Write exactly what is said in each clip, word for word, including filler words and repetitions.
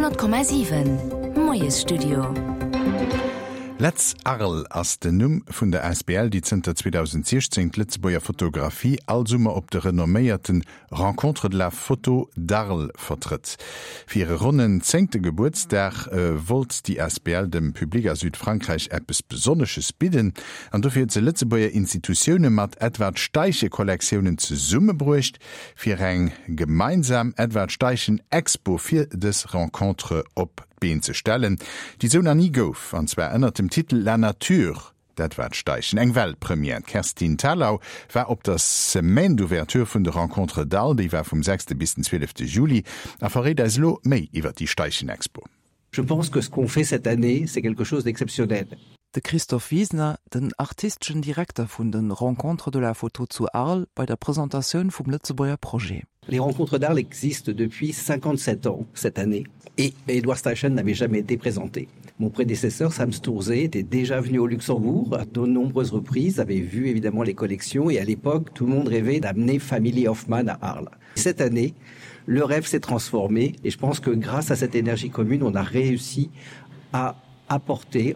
honnert Komma siwen Moiesstudio. Letz Arles ass den Numm vun der A S B L, déi zënter zweedausentsiechzéng d'Lëtzebuerger Fotografie all Summer op de renomméierte Rencontres de la Photo d'Arles vertrëtt. Fir hire ronnen zéngte Gebuertsdag wollt déi A S B L dem Public a Südfrankräich eppes Besonnesches bidden an dofir huet se Lëtzebuerger Institutioune mat Edward Steichen-Kollektiounen zesummebruecht, fir eng gemeinsam Edward Steichen Expo fir dës Rencontre op d'Been ze stellen, déi sou nach ni gouf, an zwar ënner dem Titel La Nature d'Edward Steichen, eng Weltpremière. D'Kerstin Thalau war op der Semaine d'ouverture vun de Rencontres d'Arles, déi war vum sechste bis den zwielefte Juli, a verréit eis elo méi iwwer déi Steichen-Expo. Je pense que ce qu'on fait cette année, c'est quelque chose d'exceptionnel. De Christoph Wiesner, den artisteschen Direkter vun de Rencontres de la Photo zu Arles, bei der Presentatioun vum Lëtzebuerger Projet. Les Rencontres d'Arles existent depuis cinquante-sept ans cette année et Edward Steichen n'avait jamais été présenté. Mon prédécesseur Sam Stourdzé était déjà venu au Luxembourg à de nombreuses reprises, avait vu évidemment les collections et à l'époque tout le monde rêvait d'amener Family of Man à Arles. Cette année, le rêve s'est transformé et je pense que grâce à cette énergie commune, on a réussi à apporter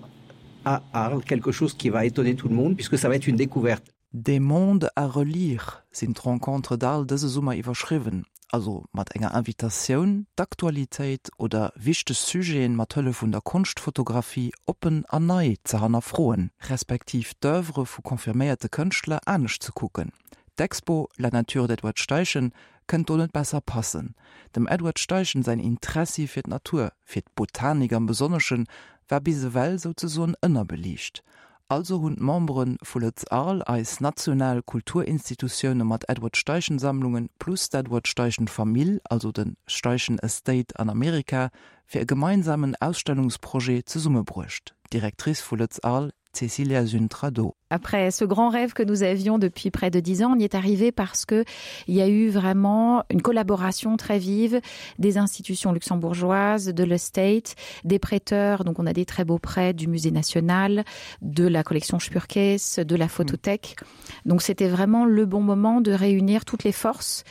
à Arles quelque chose qui va étonner tout le monde puisque ça va être une découverte. Des mondes à relire sinn d'Rencontres d'Arles dëse Summer iwwerschriwwen, also mat enger Invitatioun, d'Aktualitéit oder wichteg Sujeten mat Hëllef vun der Konschtfotografie oppen an nei ze hannerfroen, respektiv d'Oeuvre vu confirméierte Kënschtler anescht ze kucken. D'Expo La Nature d'Edward Steichen kënnt do net besser passen. Dem Edward Steichen säin Interessi fir d'Natur, fir d'Botanik am Besonneschen, war bis ewell souzesoen ënnerbeliicht. Also hunn d'Membere vu Lëtz Arles, eis national Kulturinstitutioune mat Edward Steichen Sammlungen plus d'Edward Steichen Famill, also de Steichen Estate an Amerika, fir e gemeinsamen Ausstellungsprojet zesummebruecht. D'Directrice vu Lëtz Arles, Cecilia Zuntrado. Après ce grand rêve que nous avions depuis près de dix ans, on y est arrivé parce que il y a eu vraiment une collaboration très vive des institutions luxembourgeoises, de l'estate, des prêteurs, donc on a des très beaux prêts du musée national, de la collection Spuerkeess, de la photothèque. Donc c'était vraiment le bon moment de réunir toutes les forces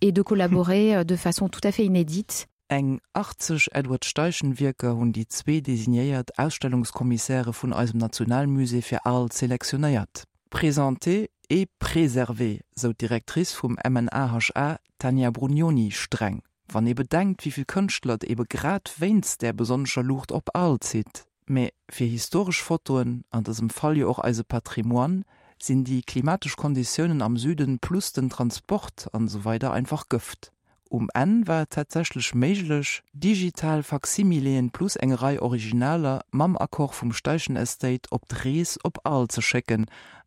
et de collaborer euh, de façon tout à fait inédite. Eng achtzeg Edward Steichen Wierker hunn déi zwee designéiert Ausstellungskommissäre vun eisem Nationalmusée fir Arles selektionéiert. Présenté et préservé, sou d'Directrice vum M N A H A Tania Brugnoni streng. Wann ee bedenkt, wéi vill Kënschtler et ebe grad wéinst där besonnescher Luucht op Arles zitt. Mä fir historesch Fotoen, an dësem Fall jo och eise Patrimoine, sinn déi klimatesch Konditiounen am Süden plus den Transport an esou weider einfach Gëft. Um Enn war et tatsächlech méiglech, digital Faksimileen plus eng Rei Originaler mam Accord vum Steichen Estate op d'Rees op Arles ze schécken,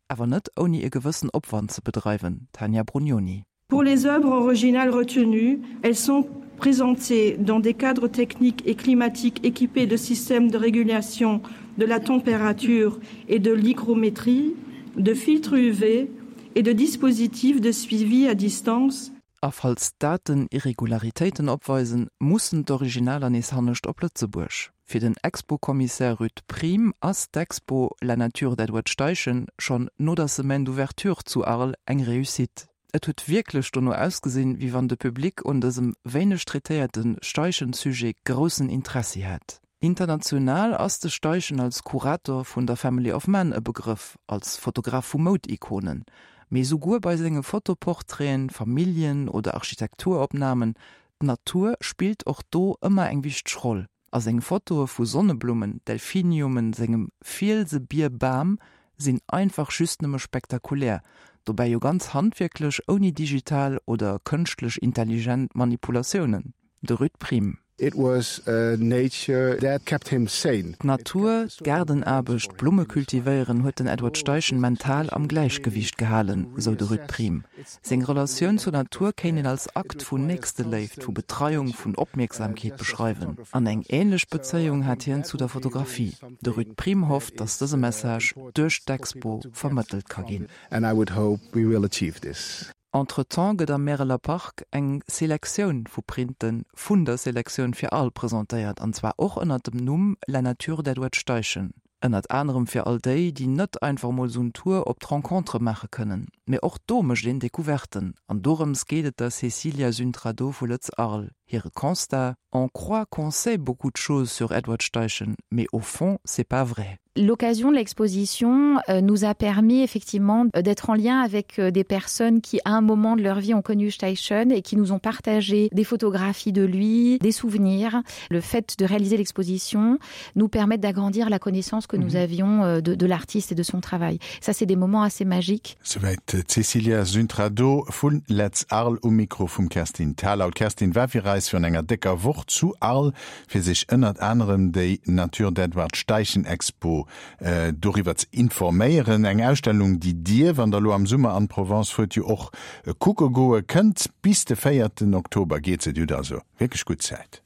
awer net ouni e gewëssen Opwand ze bedreiwen, Tania Brugnoni. Pour les œuvres originales retenues, elles sont présentées dans des cadres techniques et climatiques équipés de systèmes de régulation de la température et de l'hygrométrie, de filtres U V et de dispositifs de suivi à distance. A falls d'Daten Irregularitéiten opweisen, mussen d'Originaler nees hannescht op Lëtzebuerg. Fir den Expo-Kommissär Ruud Priem ass d'Expo La Nature d'Edward Steichen schonn no der Semaine d'ouverture zu Arles eng Réussite. Et huet wierklech dono ausgesinn, wéi wann de Public un dësem wéineg traitéierte Steichen-Sujet groussen Interessi hätt. International ass de Steichen als Kurator vun der Family of Man e Begrëff, als Fotograf vu Moudikonen. Mee souguer bei senge Fotoportraiten, Familljen oder Architekturopnamen, d'Natur spillt och do ëmmer eng wichteg Roll. A seng Fotoe vu Sonneblummen, Delphiniumen, sengem Fielsebierbam sinn einfach just nëmme spektakulär, dobäi jo ganz handwierklech ouni digital oder kënschtlech intelligent Manipulatiounen. De Ruud Priem. It was nature that kept him sane. D'Natur, d'Gaardenaarbecht, Blumme kultivéieren huet den Edward Steichen mental am Gläichgewiicht gehalen, sou de Ruud Priem. Seng Relatioun zur Natur kéint een als Akt vun Nächsteléift, vu Betreiung, vun Opmierksamkeet beschreiwen. An eng änlech Bezéiung hat hien zu der Fotografie. De Ruud Priem hofft, datt dëse Message duerch d'Expo vermëttelt ka ginn. And I would hope we will achieve this. Entretemps gëtt am Märeler Park eng Selektioun vu Printe vun der Selektioun fir Arles presentéiert, an zwar och ënner dem Numm La Nature d'Edward Steichen. Ënnert anerem fir all déi, déi net einfach mol sou en Tour op d'Rencontre maache kënnen. Mee och do mécht een Decouverten. An dorëms geet et der Cecilia Züntrado vu Lëtz Arles. Hire Constat: On croit qu'on sait beaucoup de choses sur Edward Steichen, mais au fond, c'est pas vrai. L'occasion de l'exposition euh, nous a permis effectivement euh, d'être en lien avec euh, des personnes qui à un moment de leur vie ont connu Steichen et qui nous ont partagé des photographies de lui, des souvenirs. Le fait de réaliser l'exposition nous permet d'agrandir la connaissance que nous mhm. avions de, de l'artiste et de son travail. Ça c'est des moments assez magiques. Souwäit d'Cecilia Züntrado vun Letz Arles um Mikro vum Kerstin Thalau. D'Kerstin war fir eis virun enger décker Woch zu Arles, fir sech ënnert anerem déi Nature d'Edward Steichen Expo doriwwer ze informéieren. Eng Ausstellung, déi Dir, wann Der elo am Summer an d'Provence fuert, jo och kucke goe kënnt. Bis de véierten Oktober geet se, Dir hutt also wierklech gutt Zäit.